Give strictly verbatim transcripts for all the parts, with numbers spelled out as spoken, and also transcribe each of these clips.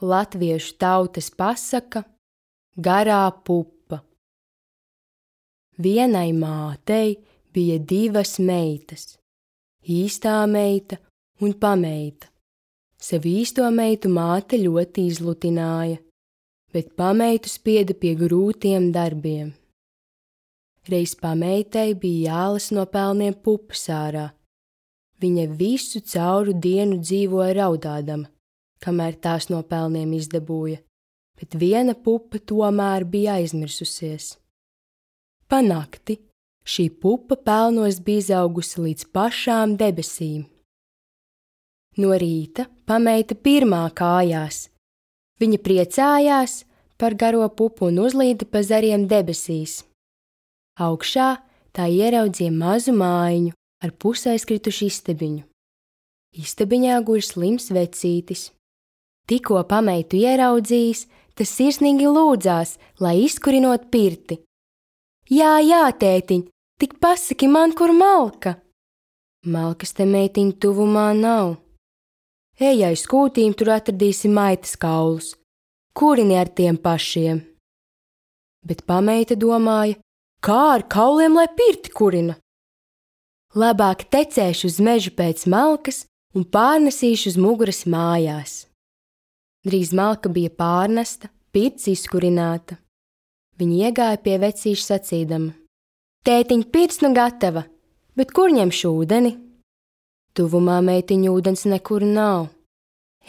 latviešu tautas pasaka Garā pupa. Vienai mātei bija divas meitas, īstā meita un pameita. Savu īsto meitu māte ļoti izlutināja, bet pameitu spieda pie grūtiem darbiem. Reiz pameitai bija jālas no pelniem pupas ārā. Viņa visu cauru dienu dzīvoja raudādama, kamēr tās no pelniem izdabūja, bet viena pupa tomēr bija aizmirsusies. Pa nakti šī pupa pelnos bija izaugusi līdz pašām debesīm. No rīta pameita pirmā kājās. Viņa priecājās par garo pupu un uzlīda pa zariem debesīs. Augšā tā ieraudzīja mazu mājiņu ar pusaizkritušu istabiņu. Istabiņā guļ slims vecītis. Tikko pameitu ieraudzījis, tas sirsnīgi lūdzās, lai izkurinot pirti. Jā, jā, tētiņ, tik pasaki man, kur malka. Malkas te meitiņa tuvumā nav. Ej aiz kūtīm, tur atradīsi maitas kaulus. Kurini ar tiem pašiem? Bet pameita domāja, kā ar kauliem, lai pirti kurina? Labāk tecēšu uz mežu pēc malkas un pārnesīšu uz muguras mājās. Drīz malka bija pārnesta, pirts izkurināta. Viņa iegāja pie vecīša sacīdama: Tētiņ, pirts nu gatava, bet kur ņemšu ūdeni? Tuvumā meitiņu ūdens nekur nav.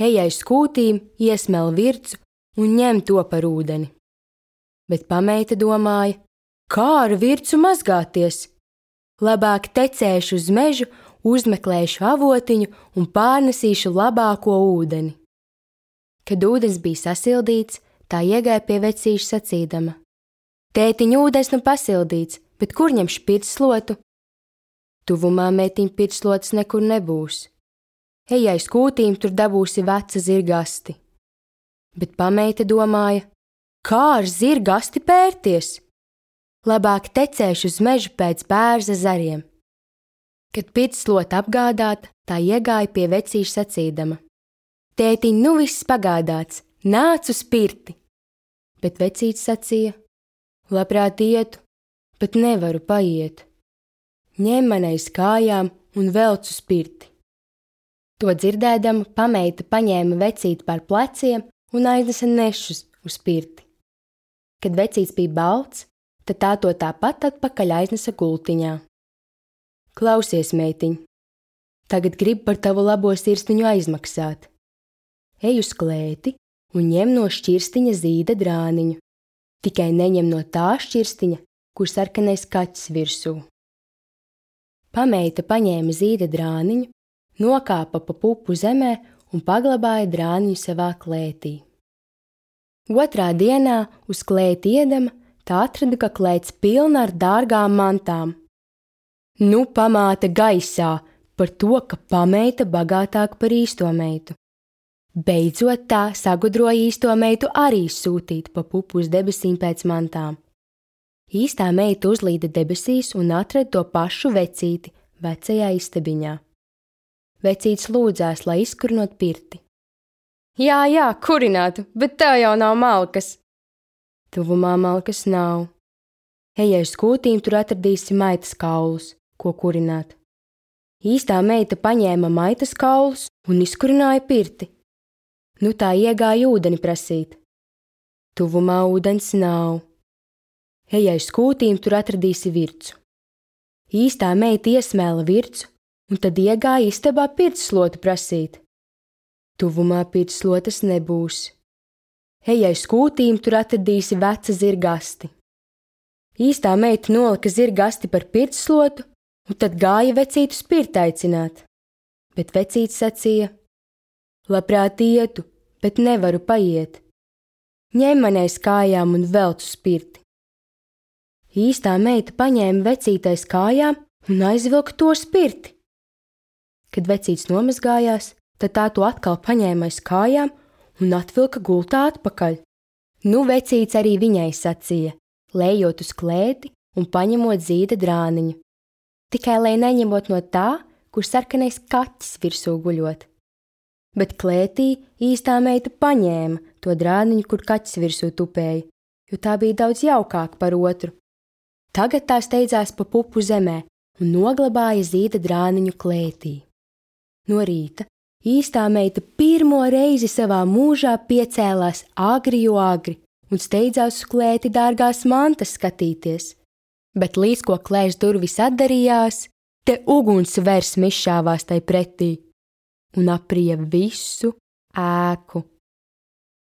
Ej aiz kūtīm, iesmel vircu un ņem to par ūdeni. Bet pameita domāja, kā ar vircu mazgāties? Labāk tecēšu uz mežu, uzmeklēšu avotiņu un pārnesīšu labāko ūdeni. Kad ūdens bija sasildīts, tā iegāja pie vecīša sacīdama: Tētiņ, ūdens nu pasildīts, bet kur ņemšu pirtslotu? Tuvumā meitiņa pirtslotas nekur nebūs. Ej aiz kūtīm, tur dabūsi veca zirgasti. Bet pameita domāja, kā ar zirgasti pērties? Labāk tecēšu uz mežu pēc bērza zariem. Kad pirtslota apgādāta, tā iegāja pie vecīša sacīdama: Tētiņ, nu viss pagādāts, nāc uz pirti. Bet vecītis sacīja: Labprāt ietu, bet nevaru paiet. Ņem man aiz kājām un velc uz pirti. To dzirdēdama, pameita paņēma vecīti par pleciem un aiznesa nešus uz pirti. Kad vecītis bija balts, tad tā to tāpat atpakaļ aiznesa gultiņā. Klausies, meitiņ, tagad gribu par tavu labo sirsniņu aizmaksāt. Ej uz klēti un ņem no šķirstiņa zīda drāniņu. Tikai neņem no tā šķirstiņa, kur sarkanais kaķis virsū. Pameita paņēma zīda drāniņu, nokāpa pa pupu zemē un paglabāja drāniņu savā klētī. Otrā dienā uz klēti iedama, tā atrada, ka klēts pilna ar dārgām mantām. Nu pamāta gaisā par to, ka pameita bagātāk par īsto meitu. Beidzot tā sagudroja īsto meitu arī sūtīt pa pupu uz debesīm pēc mantām. Īstā meita uzlīda debesīs un atrada to pašu vecīti vecajā istabiņā. Vecītis lūdzās, lai izkurinot pirti. Jā, jā, kurinātu, bet tā jau nav malkas. Tuvumā malkas nav. Ej aiz kūtīm, tur atradīsi maitas kaulus, ko kurināt. Īstā meita paņēma maitas kaulus un izkurināja pirti. Nu tā iegāja ūdeni prasīt. Tuvumā ūdens nav. Ej aiz kūtīm, tur atradīsi vircu. Īstā meita iesmēla vircu un tad iegāja istabā pirtsslotu prasīt. Tuvumā pirtsslotas nebūs. Ej aiz kūtīm, tur atradīsi veca zirgasti. Īstā meita nolika zirgasti par pirtsslotu un tad gāja vecītu uz pirti aicināt. Bet vecītis sacīja: Labprāt ietu, bet nevaru paiet. Ņem man aiz kājām un velc uz pirti. Īstā meita paņēma vecīti aiz kājām un aizvilka to uz pirti. Kad vecītis nomazgājās, tad tā to atkal paņēma aiz kājām un atvilka gultā atpakaļ. Nu vecītis arī viņai sacīja, lejot uz klēti un paņemot zīda drāniņu. Tikai lai neņemot no tā, kur sarkanais kaķis virsū guļot. Bet klētī īstā meita paņēma to drāniņu, kur kaķis virsū tupēja, jo tā bija daudz jaukāka par otru. Tagad tā steidzās pa pupu zemē un noglabāja zīda drāniņu klētī. No rīta īstā meita pirmo reizi savā mūžā piecēlās agri jo agri un steidzās uz klēti dārgās mantas skatīties, bet līdz ko klēts durvis atdarījās, te uguns vers izšāvās tai pretī un aprija visu ēku.